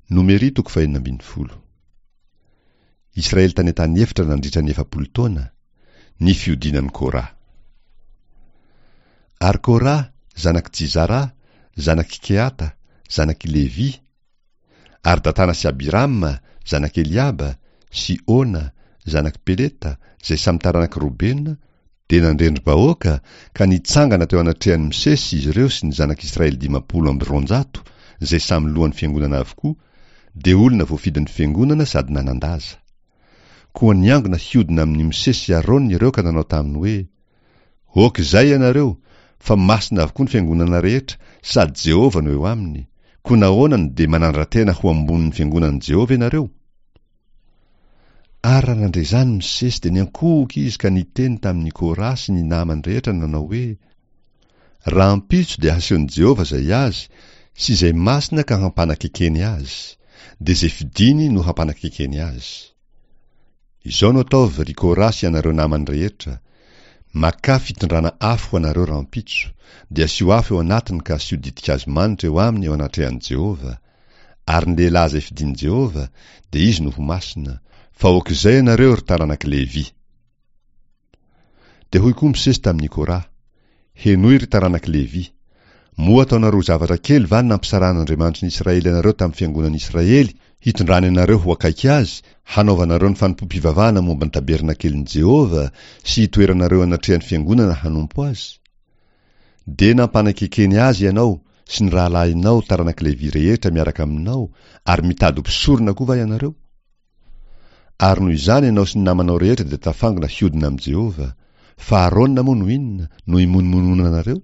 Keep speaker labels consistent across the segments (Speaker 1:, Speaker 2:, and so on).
Speaker 1: Nomery toko fahenina ambin'ny folo. Israely tany an-tany efitra nandritra ny 40 taona, ny fihodinan'i Kora. Ary Kora, zanak'i Jizara, zanak'i Kehata, zanak'i Levy, ary Datana sy Abirama, zanak'i Eliaba, sy Ona, zanak'i Peleta, izay samy taranak'i Robena, dia nandrendri-bahoaka ka nitsangana teo anatrehan'i Mosesy izy ireo sy ny zanak'Israely 250, izay samy lohan'ny fiangonana avokoa, dia olona voafidin'ny fiangonana sady nanan-daza. Koa niangona hiodina amin'i Mosesy sy Arona ireo ka nanao taminy hoe, Aoka izay ianareo, fa masina avokoa ny fiangonana rehetra, sady Jehovah no eo aminy, koa nahoana no dia manandra-tena ho ambonin'ny fiangonan'i Jehovah ianareo? Ary raha nandre izany Mosesy dia niankohoka izy ka niteny tamin'i Kora sy ny namany rehetra nanao hoe, Rahampitso dia hasehon'i Jehovah izay azy sy izay masina ka hampanakekeny azy, dia izay fidiny no hampanakekeny azy. Izao no ataovy, ry Kora sy ianareo namany rehetra, Makà fitondrana afo ho anareo rahampitso, dia asio afo eo anatiny ka asio ditin-kazo manitra eo aminy eo anatrehan'i Jehovah, Ary ny lehilahy izay fidin'i Jehovah, dia izy no ho masina, fa aok'izay ianareo, ry taranak'i Levy. Dia hoy koa Mosesy tamin'i Kora, Henoy, ry taranak'i Levy, Moa ataonareo ho zavatra kely va ny nampisarahan'Andriamanitry ny Israely anareo tamin'ny fiangonan'i Israely, hitondrany anareo ho akaiky azy, hanaovanareo ny fanompoam-pivavahana momba ny tabernakelin'i Jehovah sy hitoeranareo anatrehan'ny fiangonana hanompo azy? Dia nampanakekeny azy ianao sy ny rahalahinao taranak'i Levy rehetra miaraka aminao, ary mitady ho mpisorona koa va ianareo? Ary noho izany ianao sy ny namanao rehetra dia tafangona hiodina amin'i Jehovah, fa Arona moa no inona, no imonomononanareo?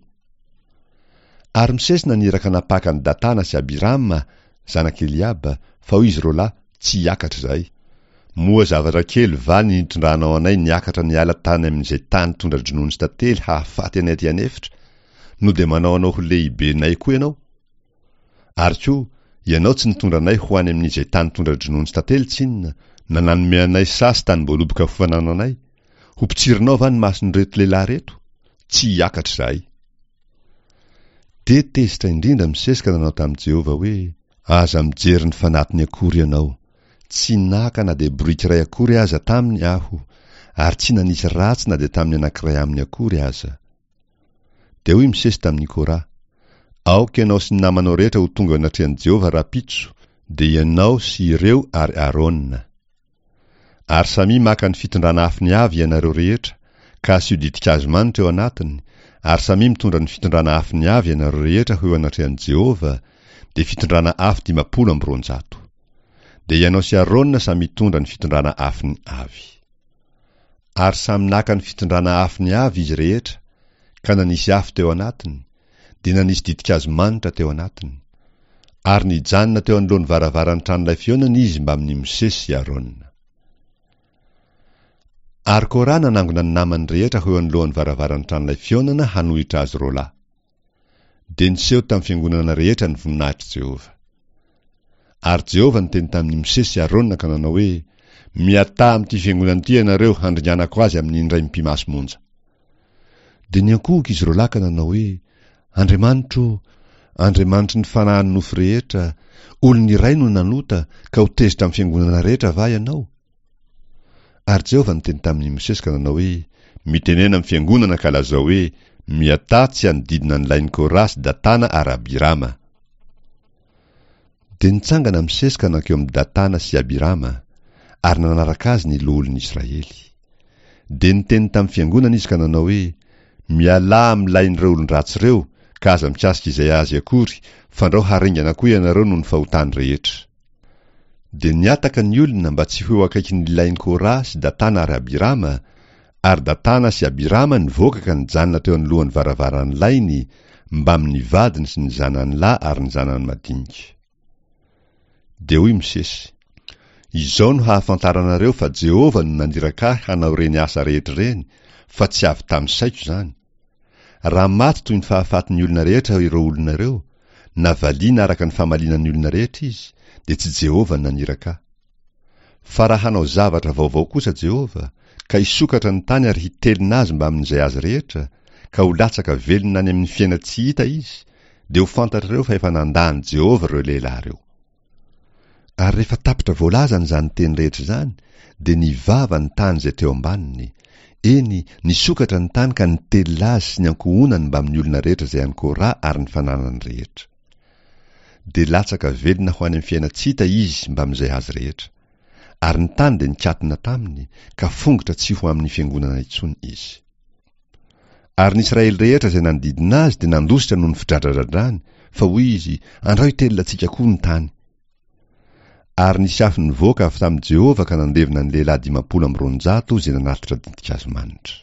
Speaker 1: Ary Mosesy naniraka nampaka an'i Datana sy Abirama, zanak'i Eliaba, fa hoy izy roalahy, Tsy hiakatra izahay. Moa zavatra kely va ny nitondranao anay niakatra niala tany amin'izay tany tondra-dronono sy tantely hahafaty anay aty an'efitra, no dia manao anao ho lehibenay koa ianao? Ary koa, ianao tsy nitondra anay ho any amin'izay tany tondra-dronono sy tantely tsinona, na nanome anay saha sy tanim-boaloboka ho fanananay. Ho mpitsirinao va ny mason'ireto lehilahy ireto? Tsy hiakatra izahay. Dia tezitra indrindra Mosesy ka nanao tamin'i Jehovah hoe, Aza mijery ny fanatiny akory ianao. Tsy naka na dia boriky iray akory aza taminy aho, ary tsy nanisy ratsy na dia tamin'ny anankiray aminy akory aza. Dia hoy Mosesy tamin'i Kora, Aoka ianao sy ny namanao rehetra ho tonga eo anatrehan'i Jehovah rahampitso, dia ianao sy ireo ary Arona. Ary samia maka ny fitondrana afony avy ianareo rehetra, ka asio ditin-kazo manitra eo anatiny, ary samia mitondra ny fitondrana afony avy ianareo rehetra ho eo anatrehan'i Jehovah, dia fitondrana afo 250. Dia ianao sy Arona samy hitondra ny fitondrana afony avy. Ary samy naka ny fitondrana afony avy izy rehetra, ka nanisy afo teo anatiny, dia nanisy ditin-kazo manitra teo anatiny. Ary nijanona teo anoloan'ny varavaran'ny tranolay fihaonana izy mbamin'i Mosesy sy Arona. Ary Kora nanangona ny namany rehetra ho eo anoloan'ny varavaran'ny tranolay fihaonana hanohitra azy roalahy. Dia niseho tamin'ny fiangonana rehetra ny voninahitr'i Jehovah. Ary Jehovah niteny tamin'i Mosesy sy Arona ka nanao hoe, Miataha amin'ity fiangonana ity ianareo handringanako azy amin'ny indray mipi-maso monja. Dia niankohoka izy roalahy ka nanao hoe, Andriamanitro ô, Andriamanitry ny fanahin'ny nofo rehetra, olona iray no nanota, ka ho tezitra amin'ny fiangonana rehetra va ianao? Ary Jehovah niteny tamin'i Mosesy ka nanao hoe, Mitenena amin'ny fiangonana ka lazao hoe, Miataha tsy hanodidina ny lain'i Kora sy Datana ary Abirama. Dia nitsangana Mosesy ka nankeo amin'i Datana sy Abirama, ary nanaraka azy ny loholon'ny Israely. Dia niteny tamin'ny fiangonana izy ka nanao hoe, Mialà amin'ny lain'ireo olon-dratsy ireo, ka aza mikasika izay azy akory, fandrao haringana koa ianareo noho ny fahotany rehetra. Dia nihataka ny olona mba tsy ho eo akaikin'ny lain'i Kora sy Datana ary Abirama, ary Datana sy Abirama nivoaka ka nijanona teo anoloan'ny varavaran'ny lainy, mbamin'ny vadiny sy ny zanany lahy ary ny zanany madinika. Dia hoy Mosesy, Izao no hahafantaranareo fa Jehovah no naniraka ahy hanao ireny asa rehetra ireny, fa tsy avy tamin'ny saiko izany. Raha maty toy ny fahafatin'ny olona rehetra ireo olona ireo, na valiana araka ny famaliana ny olona rehetra izy, dia tsy Jehovah no naniraka ahy. Fa raha hanao zavatra vaovao kosa Jehovah, ka hisokatra ny tany ary hitelina azy mbamin'izay azy rehetra, ka ho latsaka velona any amin'ny fiainan-tsy hita izy, dia ho fantatrareo fa efa nandà an'i Jehovah ireo lehilahy ireo. Ary rehefa tapitra voalazany izany teny rehetra izany, dia nivava ny tany izay teo ambaniny, eny, nisokatra ny tany ka nitelina azy sy ny ankohonany mbamin'ny olona rehetra izay an'i Kora ary ny fananany rehetra. Dia latsaka velona ho any amin'ny fiainan-tsy hita izy mbamin'izay azy rehetra. Ary ny tany dia nikatona taminy, ka fongotra tsy ho amin'ny fiangonana intsony izy. Ary ny Israely rehetra izay nanodidina azy dia nandositra noho ny fidradradradrany, fa hoy izy, Andrao hitelina antsika koa ny tany. Ary nisy afo nivoaka avy tamin'i Jehovah ka nandevona ny lehilahy 250 izay nanatitra ditin-kazo manitra.